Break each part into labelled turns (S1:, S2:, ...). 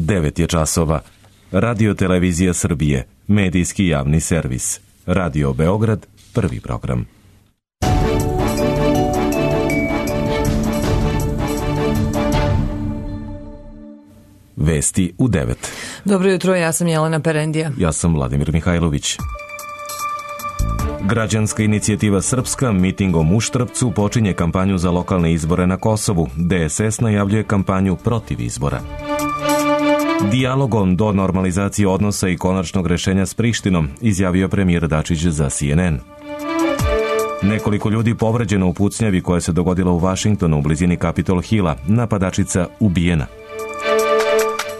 S1: 9 je časova. Radio Televizija Srbije, medijski javni servis. Radio Beograd, prvi program. Vesti u 9.
S2: Dobro jutro, ja sam Jelena Perendija.
S1: Ja sam Vladimir Mihajlović. Građanska inicijativa Srpska mitingom u Štrpcu počinje kampanju za lokalne izbore na Kosovu. DSS najavljuje kampanju protiv izbora. Dijalogom do normalizacije odnosa i konačnog rešenja s Prištinom, izjavio premijer Dačić za CNN. Nekoliko ljudi povređeno u pucnjavi koja se dogodila u Vašingtonu u blizini Capitol Hilla, napadačica ubijena.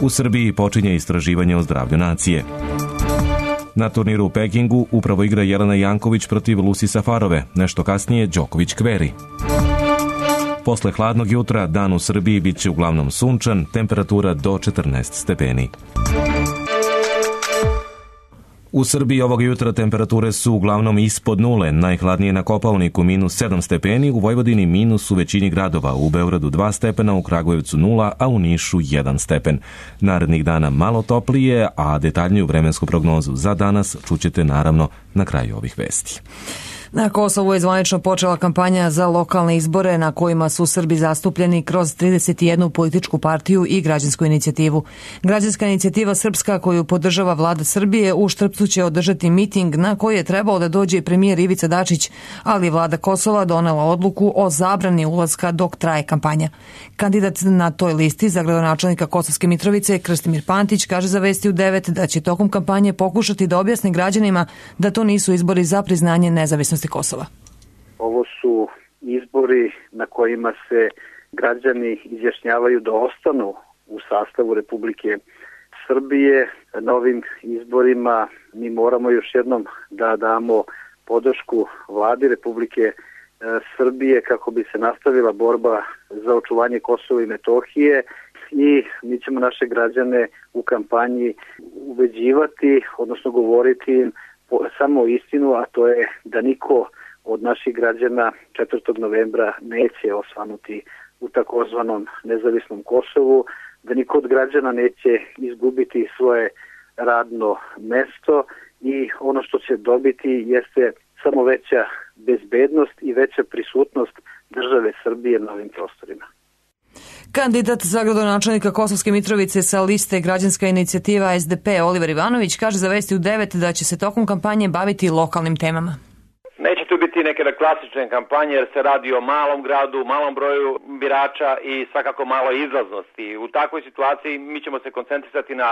S1: U Srbiji počinje istraživanje o zdravlju nacije. Na turniru u Pekingu upravo igra Jelena Janković protiv Lucy Safarove, nešto kasnije Đoković kveri. Posle hladnog jutra, dan u Srbiji bit će uglavnom sunčan, temperatura do 14 stepeni. U Srbiji ovog jutra temperature su uglavnom ispod nule, najhladnije na Kopaoniku -7 stepeni, u Vojvodini minus u većini gradova, u Beogradu 2 stepena, u Kragujevcu 0, a u Nišu 1 stepen. Narednih dana malo toplije, a detaljniju vremensku prognozu za danas čućete naravno na kraju ovih vesti.
S2: Na Kosovu je zvanično počela kampanja za lokalne izbore na kojima su Srbi zastupljeni kroz 31 političku partiju i građansku inicijativu. Građanska inicijativa Srpska, koju podržava vlada Srbije, u Štrpcu će održati miting na koji je trebao da dođe premijer Ivica Dačić, ali vlada Kosova donela odluku o zabrani ulaska dok traje kampanja. Kandidat na toj listi za gradonačelnika Kosovske Mitrovice, Krstimir Pantić, kaže za Vesti u 9 da će tokom kampanje pokušati da objasni građanima da to nisu izbori za priznanje nezavisnosti Kosova.
S3: Ovo su izbori na kojima se građani izjašnjavaju da ostanu u sastavu Republike Srbije. Na ovim izborima mi moramo još jednom da damo podršku vladi Republike Srbije kako bi se nastavila borba za očuvanje Kosova i Metohije i mi ćemo naše građane u kampanji ubeđivati, odnosno govoriti im samo istinu, a to je da niko od naših građana 4. novembra neće osvanuti u takozvanom nezavisnom Kosovu, da niko od građana neće izgubiti svoje radno mesto i ono što će dobiti jeste samo veća bezbednost i veća prisutnost države Srbije na ovim prostorima.
S2: Kandidat za gradonačelnika Kosovske Mitrovice sa liste Građanska inicijativa SDP Oliver Ivanović kaže za Vesti u 9 da će se tokom kampanje baviti lokalnim temama.
S4: Neće tu biti neke klasične kampanje jer se radi o malom gradu, malom broju birača i svakako malo izlaznosti. U takvoj situaciji mi ćemo se koncentrisati na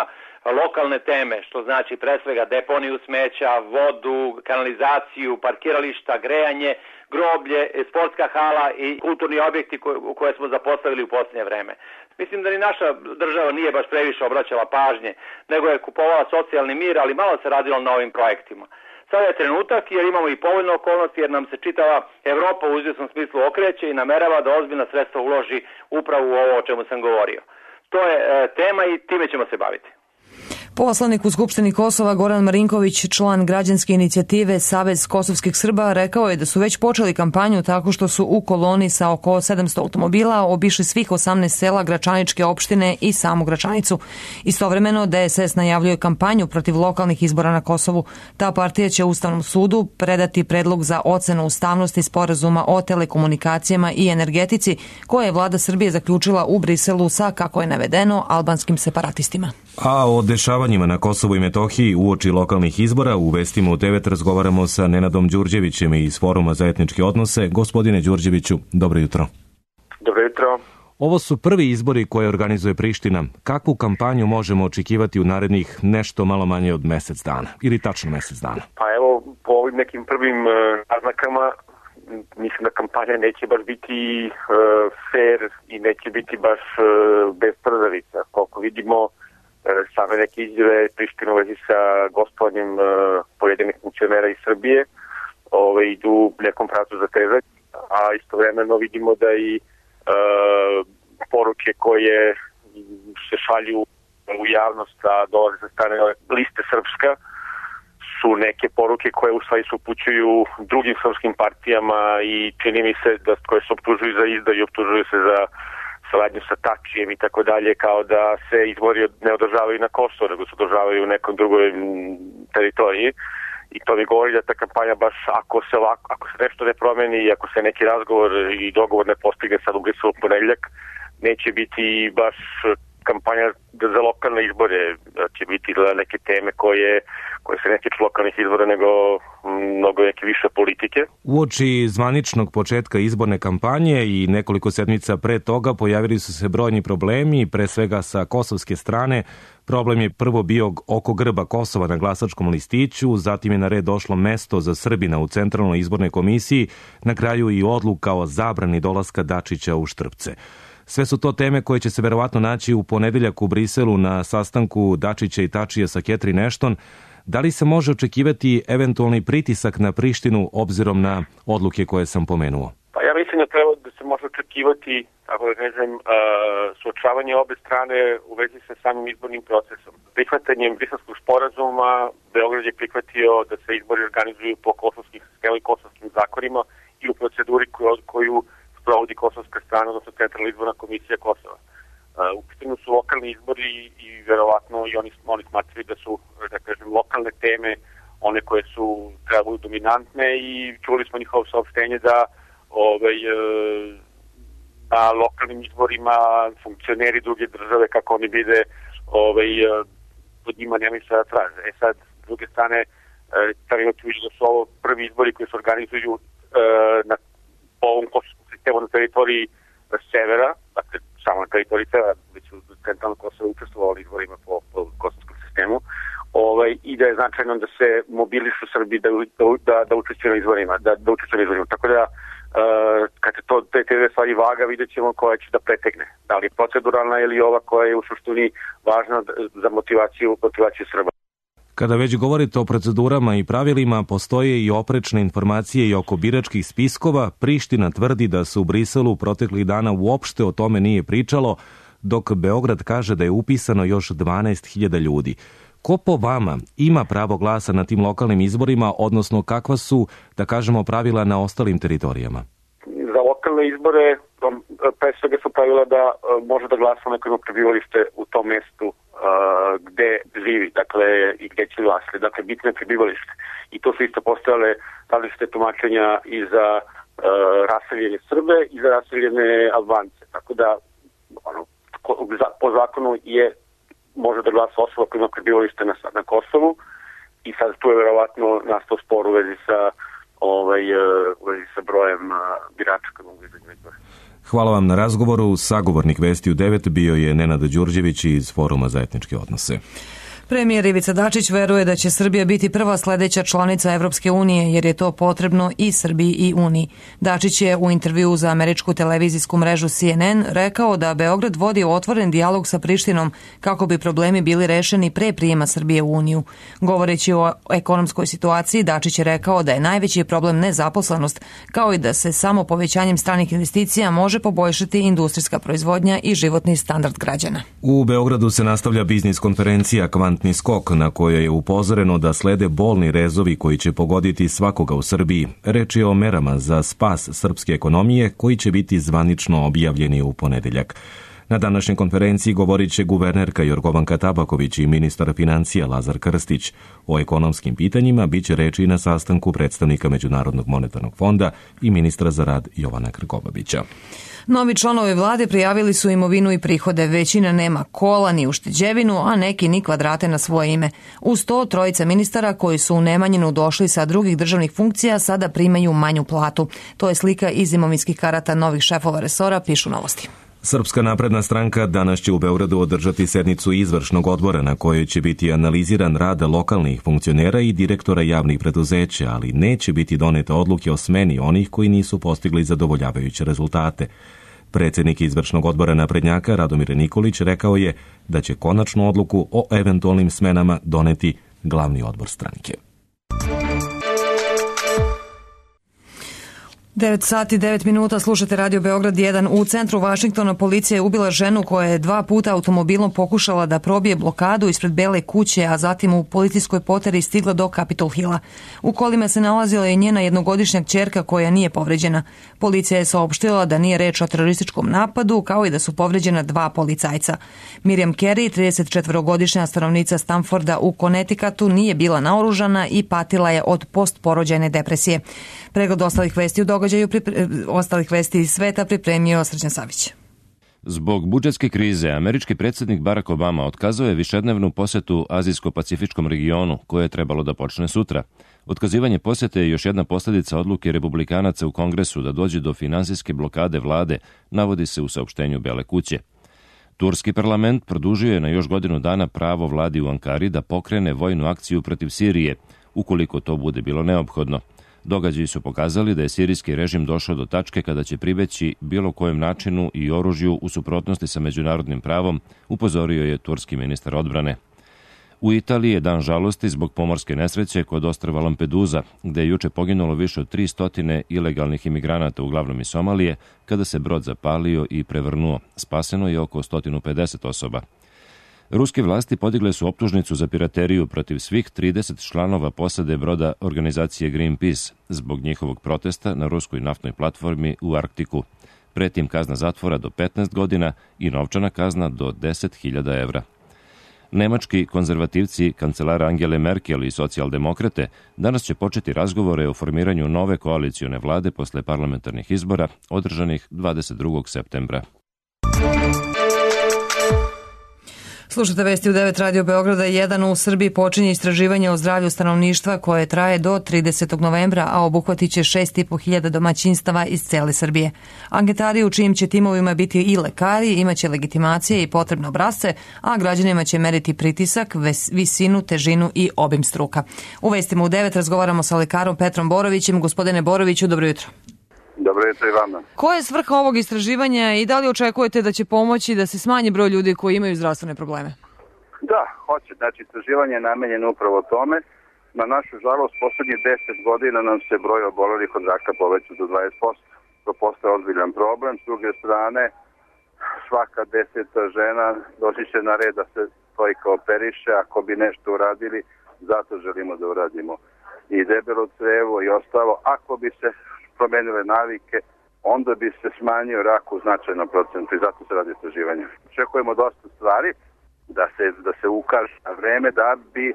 S4: lokalne teme, što znači pre svega deponiju smeća, vodu, kanalizaciju, parkirališta, grejanje, groblje, sportska hala i kulturni objekti koje smo zapostavili u posljednje vreme. Mislim da ni naša država nije baš previše obraćala pažnje, nego je kupovala socijalni mir, ali malo se radilo na ovim projektima. Sada je trenutak jer imamo i povoljne okolnosti jer nam se čitava Evropa u izvjesnom smislu okreće i namerava da ozbiljna sredstva uloži upravo u ovo o čemu sam govorio. To je tema i time ćemo se baviti.
S2: Poslanik u Skupštini Kosova Goran Marinković, član građanske inicijative Savez kosovskih Srba, rekao je da su već počeli kampanju tako što su u koloni sa oko 700 automobila obišli svih 18 sela Gračaničke opštine i samu Gračanicu. Istovremeno DSS najavljuje kampanju protiv lokalnih izbora na Kosovu. Ta partija će Ustavnom sudu predati predlog za ocenu ustavnosti sporazuma o telekomunikacijama i energetici koje je vlada Srbije zaključila u Briselu sa, kako je navedeno, albanskim separatistima.
S1: A o dešavanjima na Kosovu i Metohiji uoči lokalnih izbora u Vestima u 9 razgovaramo sa Nenadom Đurđevićem iz Foruma za etničke odnose. Gospodine Đurđeviću, dobro jutro.
S5: Dobro jutro.
S1: Ovo su prvi izbori koje organizuje Priština. Kakvu kampanju možemo očekivati u narednih nešto malo manje od mesec dana ili tačno mesec dana?
S5: Pa evo, po ovim nekim prvim naznakama mislim da kampanja neće baš biti fair i neće biti baš bez trzavica. Koliko vidimo, same neke izjave Prištine u vezi sa gostovanjem pojedinih funkcionera iz Srbije idu nekom pravcu za tezać, a istovremeno vidimo da i poruke koje se šalju u javnost, a dolaze sa strane liste Srpska, su neke poruke koje u stvari se upućuju drugim srpskim partijama i čini mi se da koje se optužuju za izdaju i optužuju se za saradnju sa Tačijem i tako dalje, kao da se izbori ne održavaju na Kosovo, nego se održavaju u nekoj drugoj teritoriji. I to mi govori da ta kampanja baš ako se nešto ne promeni i ako se neki razgovor i dogovor ne postigne sad u Briselu ponedeljak, neće biti baš kampanja za lokalne izbore, će biti neke teme koje se ne tiču lokalnih izbora, nego mnogo neke više politike.
S1: Uoči zvaničnog početka izborne kampanje i nekoliko sedmica pre toga pojavili su se brojni problemi, pre svega sa kosovske strane. Problem je prvo bio oko grba Kosova na glasačkom listiću, zatim je na red došlo mesto za Srbina u Centralnoj izbornoj komisiji, na kraju i odluka o zabrani dolaska Dačića u Štrpce. Sve su to teme koje će se verovatno naći u ponedeljak u Briselu na sastanku Dačića i Tačija sa Catherine Ashton. Da li se može očekivati eventualni pritisak na Prištinu obzirom na odluke koje sam pomenuo?
S5: Pa ja mislim da treba da se može očekivati, ako da kažem, suočavanje obe strane u vezi sa samim izbornim procesom. Prihvatanjem Briselskog sporazuma Beograd je prihvatio da se izbori organizuju po kosovskim sistemu i kosovskim zakonima i u proceduri koju sprovodi kosovska strana, odnosno Centralna izborna komisija Kosova. U pitanju su lokalni izbori i verovatno i oni smatraju da su, da kažem, lokalne teme one koje su trebaju dominantne i čuli smo njihovo saopštenje da na lokalnim izborima funkcioneri druge države, kako oni vide, pod njima nema ništa da traže. Sad, s druge strane, treba da su ovo prvi izbori koji se organizuju po ovom kosovskom sistemu na teritoriji severa, dakle samo na teritoriji severa, već u centralnom Kosovo učestvovali izborima po kosovskom sistemu, i da je značajno da se mobilišu Srbi da učestvuju na izborima, Tako da, kad je to te stvari vaga, vidjet ćemo koja će da pretegne. Da li je proceduralna ili ova koja je u suštini važna za motivaciju Srba.
S1: Kada već govorite o procedurama i pravilima, postoje i oprečne informacije i oko biračkih spiskova. Priština tvrdi da se u Briselu proteklih dana uopšte o tome nije pričalo, dok Beograd kaže da je upisano još 12.000 ljudi. Ko po vama ima pravo glasa na tim lokalnim izborima, odnosno kakva su, da kažemo, pravila na ostalim teritorijama?
S5: Za lokalne izbore, pre svega su pravila da može da glasa onaj koji ima prebivalište u tom mestu gde živi, dakle, i gde će glasati. Dakle, bitno je prebivalište. I to su isto postojale različite tumačenja i za raseljene Srbe i za raseljene Albance. Tako da, po zakonu može da glasa osoba koja ima prebivalište na Kosovu i sad tu je verovatno nastao spor u vezi sa brojem birača koji mogu izaći na izbore.
S1: Hvala vam na razgovoru. Sagovornik Vesti u 9 bio je Nenad Đurđević iz Foruma za etničke odnose.
S2: Premijer Ivica Dačić veruje da će Srbija biti prva sledeća članica Evropske unije, jer je to potrebno i Srbiji i Uniji. Dačić je u intervjuu za američku televizijsku mrežu CNN rekao da Beograd vodi otvoren dijalog sa Prištinom kako bi problemi bili rešeni pre prijema Srbije u Uniju. Govoreći o ekonomskoj situaciji, Dačić je rekao da je najveći problem nezaposlenost, kao i da se samo povećanjem stranih investicija može poboljšati industrijska proizvodnja i životni standard građana.
S1: U Beogradu se nastavlja biznis konferencija Kvantni skok, na kojoj je upozoreno da slede bolni rezovi koji će pogoditi svakoga u Srbiji. Reč je o merama za spas srpske ekonomije koji će biti zvanično objavljeni u ponedeljak. Na današnjoj konferenciji govorit će guvernerka Jorgovanka Tabaković i ministar financija Lazar Krstić. O ekonomskim pitanjima bit će reči i na sastanku predstavnika Međunarodnog monetarnog fonda i ministra za rad Jovana Krkobabića.
S2: Novi članovi vlade prijavili su imovinu i prihode. Većina nema kola ni ušteđevinu, a neki ni kvadrate na svoje ime. Uz to, trojica ministara koji su u Nemanjinu došli sa drugih državnih funkcija sada primaju manju platu. To je slika iz imovinskih karata novih šefova resora, pišu Novosti.
S1: Srpska napredna stranka danas će u Beogradu održati sednicu izvršnog odbora na kojoj će biti analiziran rad lokalnih funkcionera i direktora javnih preduzeća, ali neće biti donete odluke o smeni onih koji nisu postigli zadovoljavajuće rezultate. Predsjednik izvršnog odbora naprednjaka Radomir Nikolić rekao je da će konačnu odluku o eventualnim smenama doneti glavni odbor stranke.
S2: 9 sati 9 minuta, slušate Radio Beograd 1. U centru Vašingtona policija je ubila ženu koja je 2 puta automobilom pokušala da probije blokadu ispred Bele kuće, a zatim u policijskoj poteri stigla do Capitol Hilla. U kolima se nalazila i njena jednogodišnja kćerka koja nije povređena. Policija je saopštila da nije reč o terorističkom napadu, kao i da su povređena 2 policajca. Miriam Carey, 34-godišnja stanovnica Stamforda u Connecticutu, nije bila naoružana i patila je od postporođajne depresije. Pregled ostalih vesti u događaju ostalih vesti iz sveta pripremio Srđan Savić.
S6: Zbog budžetske krize, američki predsjednik Barack Obama otkazao je višednevnu posetu Azijsko-Pacifičkom regionu, koje je trebalo da počne sutra. Otkazivanje posete je još jedna posljedica odluke republikanaca u Kongresu da dođe do finansijske blokade vlade, navodi se u saopštenju Bele kuće. Turski parlament produžio je na još godinu dana pravo vladi u Ankari da pokrene vojnu akciju protiv Sirije, ukoliko to bude bilo neophodno. Događaji su pokazali da je sirijski režim došao do tačke kada će pribeći bilo kojem načinu i oružju u suprotnosti sa međunarodnim pravom, upozorio je turski ministar odbrane. U Italiji je dan žalosti zbog pomorske nesreće kod ostrva Lampedusa, gde je juče poginulo više od 300 ilegalnih imigranata, uglavnom iz Somalije, kada se brod zapalio i prevrnuo. Spaseno je oko 150 osoba. Ruske vlasti podigle su optužnicu za pirateriju protiv svih 30 članova posade broda organizacije Greenpeace zbog njihovog protesta na ruskoj naftnoj platformi u Arktiku. Pretim kazna zatvora do 15 godina i novčana kazna do 10.000 evra. Nemački konzervativci, kancelara Angele Merkel i socijaldemokrate danas će početi razgovore o formiranju nove koalicione vlade posle parlamentarnih izbora održanih 22. septembra.
S2: Slušate vesti u 9 Radio Beograda 1. U Srbiji počinje istraživanje o zdravlju stanovništva koje traje do 30. novembra, a obuhvatit će 6.500 domaćinstava iz cele Srbije. Anketari u čijim će timovima biti i lekari imaće legitimacije i potrebne obrasce, a građanima će meriti pritisak, visinu, težinu i obim struka. U vestima u 9 razgovaramo sa lekarom Petrom Borovićem. Gospodine Boroviću, dobro jutro.
S7: Dobro jutro i vama.
S2: Koja je svrha ovog istraživanja i da li očekujete da će pomoći da se smanji broj ljudi koji imaju zdravstvene probleme?
S7: Da, hoće. Znači, istraživanje je namenjeno upravo tome. Na našu žalost, poslednjih 10 godina nam se broj obolelih od raka povećao do 20%. To postaje ozbiljan problem. S druge strane, svaka 10. žena doći će na red da se stojka operiše. Ako bi nešto uradili, zato želimo da uradimo i debelo crevo i ostalo. Ako bi se promenile navike, onda bi se smanjio rak u značajnom procentu i zato se radi istraživanje. Očekujemo dosta stvari da se ukaže na vreme da bi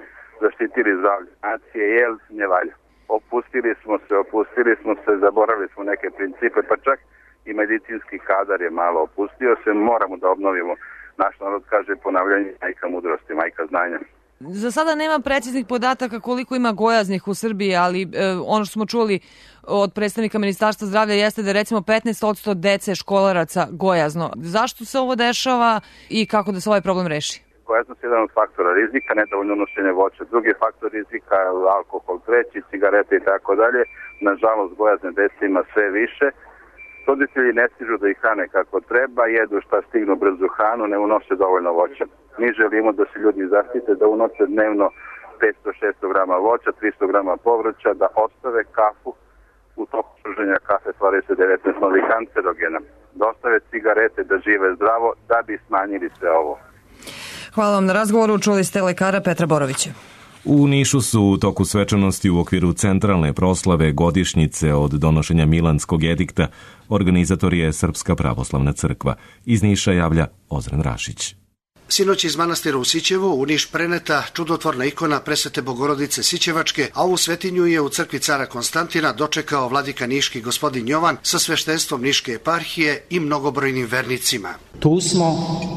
S7: zaštitili zdravlje nacije, jer ne valja. Opustili smo se, zaboravili smo neke principe, pa čak i medicinski kadar je malo opustio se, moramo da obnovimo. Naš narod kaže ponavljanje majka mudrosti, majka znanja.
S2: Za sada nema preciznih podataka koliko ima gojaznih u Srbiji, ali ono što smo čuli od predstavnika Ministarstva zdravlja jeste da je recimo 15% dece školaraca gojazno. Zašto se ovo dešava i kako da se ovaj problem reši?
S7: Gojaznost je jedan od faktora rizika, nedovoljno unošenje voća. Drugi faktor rizika je alkohol, treći, cigarete i tako dalje. Nažalost, gojazne dece ima sve više. Roditelji ne stižu da ih hrane kako treba, jedu šta stignu brzu hranu, ne unose dovoljno voća. Mi želimo da se ljudi zaštite, da unose dnevno 500-600 grama voća, 300 grama povrća, da ostave kafu. U toku pruženja kafe stvaraju se 19 novih kancerogena. Da ostave cigarete, da žive zdravo, da bi smanjili sve ovo.
S2: Hvala vam na razgovoru. Čuli ste lekara Petra Borovića.
S1: U Nišu su u toku svečanosti u okviru centralne proslave godišnjice od donošenja Milanskog edikta. Organizator je Srpska pravoslavna crkva. Iz Niša javlja Ozren Rašić.
S8: Sinoć iz manastira u Sićevu u Niš preneta čudotvorna ikona Presvete Bogorodice Sićevačke, a ovu svetinju je u crkvi cara Konstantina dočekao vladika niški gospodin Jovan sa sveštenstvom Niške eparhije i mnogobrojnim vernicima.
S9: Tu smo,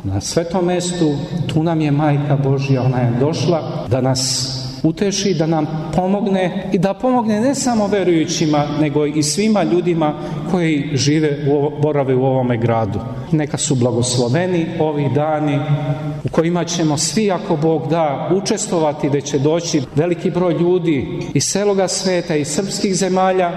S9: na svetom mestu, tu nam je Majka Božja, ona je došla da nas uteši, da nam pomogne i da pomogne ne samo verujućima, nego i svima ljudima koji borave u ovome gradu. Neka su blagosloveni ovi dani u kojima ćemo svi, ako Bog da, učestvovati, da će doći veliki broj ljudi iz celoga sveta, iz srpskih zemalja,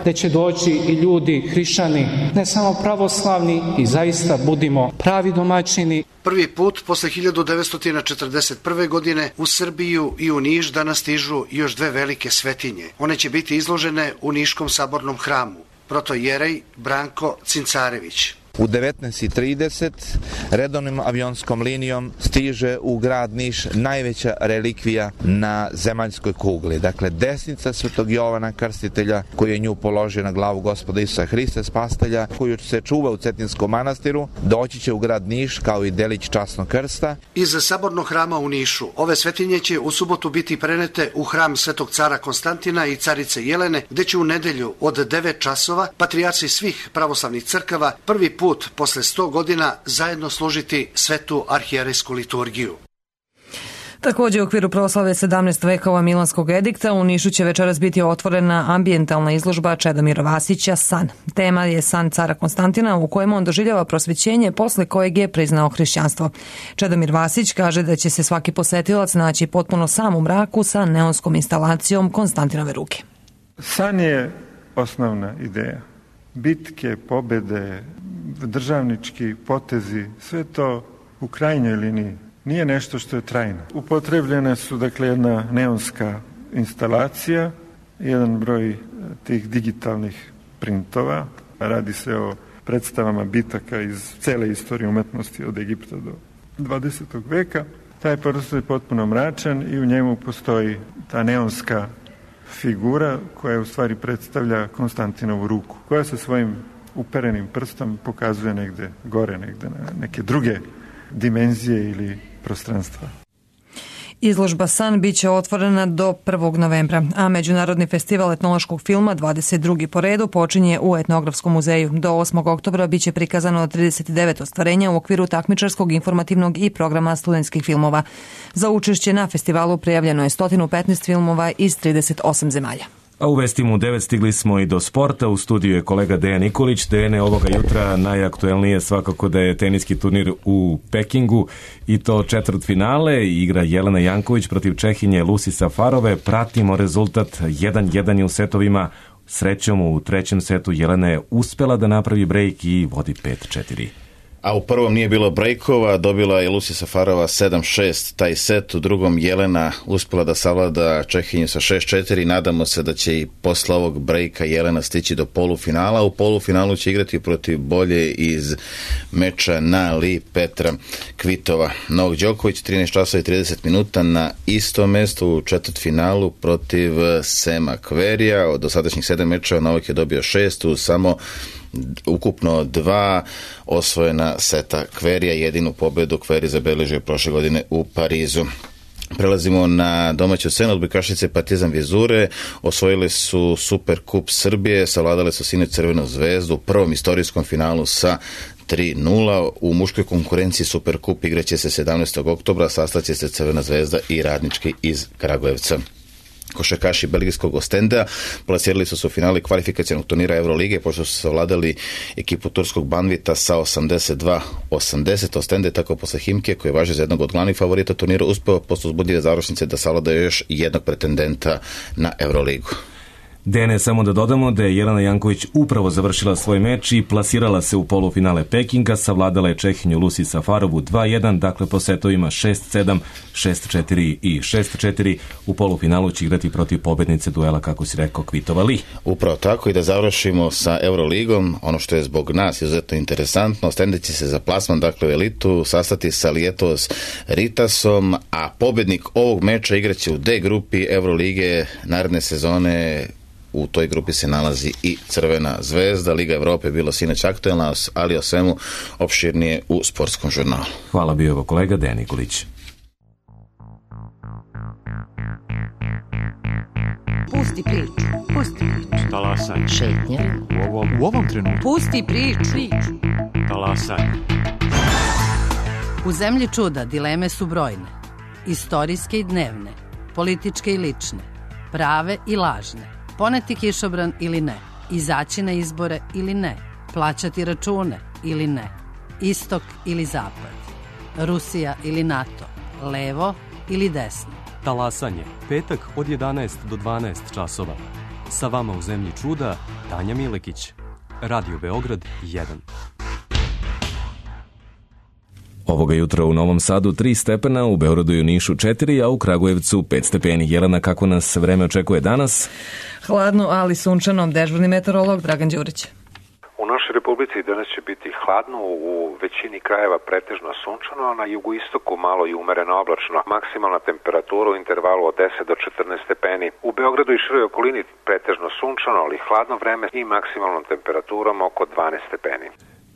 S9: da će doći i ljudi hrišćani, ne samo pravoslavni, i zaista budimo pravi domaćini.
S8: Prvi put posle 1941. godine u Srbiju i u Niš danas stižu još dve velike svetinje. One će biti izložene u Niškom sabornom hramu. protojerej Branko Cincarević.
S10: U 19:30 redovnom avionskom linijom stiže u grad Niš najveća relikvija na zemaljskoj kugli. Dakle, desnica Svetog Jovana Krstitelja, koji je nju položio na glavu Gospoda Isusa Hrista Spastelja, koju se čuva u Cetinskom manastiru, doći će u grad Niš kao i delić časnog krsta.
S8: Iz sabornog hrama u Nišu ove svetinje će u subotu biti prenete u hram Svetog cara Konstantina i carice Jelene, gde će u nedelju od 9 časova patrijarsi svih pravoslavnih crkava prvi put posle 100 godina zajedno služiti svetu arhijerejsku liturgiju.
S2: Također u okviru proslave 17 vekova Milanskog edikta u Nišu će večeras biti otvorena ambijentalna izložba Čedomira Vasića San. Tema je san cara Konstantina u kojem on doživljava prosvećenje posle kojeg je priznao hrišćanstvo. Čedomir Vasić kaže da će se svaki posetilac naći potpuno sam u mraku sa neonskom instalacijom Konstantinove ruke.
S11: San je osnovna ideja. Bitke, pobede, državnički potezi, sve to u krajnjoj liniji nije nešto što je trajno. Upotrebljene su dakle jedna neonska instalacija, jedan broj tih digitalnih printova, radi se o predstavama bitaka iz cele istorije umetnosti od Egipta do 20. veka. Taj prostor je potpuno mračan i u njemu postoji ta neonska figura koja u stvari predstavlja Konstantinovu ruku, koja sa svojim uperenim prstom pokazuje negde gore, negde na neke druge dimenzije ili prostranstva.
S2: Izložba San biće otvorena do 1. novembra, a Međunarodni festival etnološkog filma 22. po redu počinje u Etnografskom muzeju. Do 8. oktobra biće prikazano 39 ostvarenja u okviru takmičarskog, informativnog i programa studentskih filmova. Za učešće na festivalu prijavljeno je 115 filmova iz 38 zemalja.
S1: A u vestima u 9 stigli smo i do sporta. U studiju je kolega Dejan Nikolić. Dejane, ovoga jutra najaktuelnije svakako da je teniski turnir u Pekingu i to četvrtfinale. Igra Jelena Janković protiv Čehinje Lucy Safarove. Pratimo rezultat 1-1 u setovima. Srećom u trećem setu Jelena je uspela da napravi brejk i vodi 5-4.
S12: A u prvom nije bilo brejkova, dobila je Lucy Safarova 7-6 taj set, u drugom Jelena uspela da savlada Čehinju sa 6-4. Nadamo se da će i posle ovog brejka Jelena stići do polufinala. U polufinalu će igrati protiv bolje iz meča na Li Petra Kvitova. Novak Đoković 13 časova i 30 minuta na istom mestu u četvrtfinalu protiv Sema Kverija. Od dosadašnjih 7 mečeva Novak je dobio 6, uz samo ukupno 2 osvojena seta Kverija. Jedinu pobedu Kveri zabeležio prošle godine u Parizu. Prelazimo na domaću scenu. Odbojkašice Partizan Vizure osvojili su Superkup Srbije, savladale su sinoć Crvenu zvezdu u prvom istorijskom finalu sa 3-0. U muškoj konkurenciji Superkup igraće se 17. oktobra, sastaće se Crvena zvezda i Radnički iz Kragujevca. Košarkaši belgijskog Ostendea plasirali su se u finale kvalifikacionog turnira Eurolige, pošto su savladali ekipu turskog Banvita sa 82-80. Ostende tako posle Himke, koji važe za jednog od glavnih favorita turnira, uspeo posle uzbudljive završnice da savlada još jednog pretendenta na Euroligu.
S1: Dene, samo da dodamo da je Jelena Janković upravo završila svoj meč i plasirala se u polufinale Pekinga, savladala je Čehinju Lucy Safarovu 2-1, dakle po setovima 6-7, 6-4 i 6-4. U polufinalu će igrati protiv pobednice duela, kako si rekao, Kvitova Li.
S12: Upravo tako, i da završimo sa Euroligom, ono što je zbog nas izuzetno interesantno, Ostende će se za plasman, dakle u elitu, sastati sa Lietos Ritasom, a pobednik ovog meča igraće u D grupi Eurolige naredne sezone. U toj grupi se nalazi i Crvena zvezda. Liga Evrope je bilo sinoć aktuelna, ali o svemu opširnije u sportskom žurnalu.
S1: Hvala, bio je kolega Dejan Nikolić.
S13: Pusti priču. Pusti priču.
S14: Talasaj.
S13: Šetnja.
S14: U ovom trenutku.
S13: Pusti priču.
S14: Talasaj.
S13: U zemlji čuda dileme su brojne. Istorijske i dnevne. Političke i lične. Prave i lažne. Poneti kišobran ili ne, izaći na izbore ili ne, plaćati račune ili ne, istok ili zapad, Rusija ili NATO, levo ili desno.
S14: Talasanje, petak od 11 do 12 časova. Sa vama u zemlji čuda, Tanja Milekić. Radio Beograd 1.
S1: Ovoga jutra u Novom Sadu 3 stepena, u Beogradu i u Nišu 4, a u Kragujevcu 5 stepeni. Jelena, kako nas vreme očekuje danas?
S2: Hladno, ali sunčano. Dežurni meteorolog Dragan Đurić.
S15: U našoj republici danas će biti hladno, u većini krajeva pretežno sunčano, a na jugoistoku malo i umereno oblačno. Maksimalna temperatura u intervalu od 10 do 14 stepeni. U Beogradu i široj okolini pretežno sunčano, ali hladno vreme i maksimalnom temperaturom oko 12 stepeni.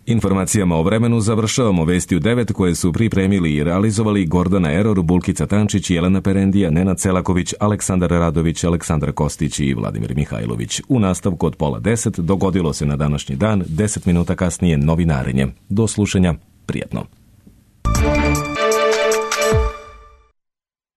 S1: Informacijama o vremenu završavamo vesti u 9 koje su pripremili i realizovali Gordana Eror, Bulkica Tančić, Jelena Perendija, Nenad Selaković, Aleksandar Radović, Aleksandar Kostić i Vladimir Mihajlović. U nastavku od 9:30 dogodilo se na današnji dan, 10 minuta kasnije novinarenje. Do slušanja, prijetno.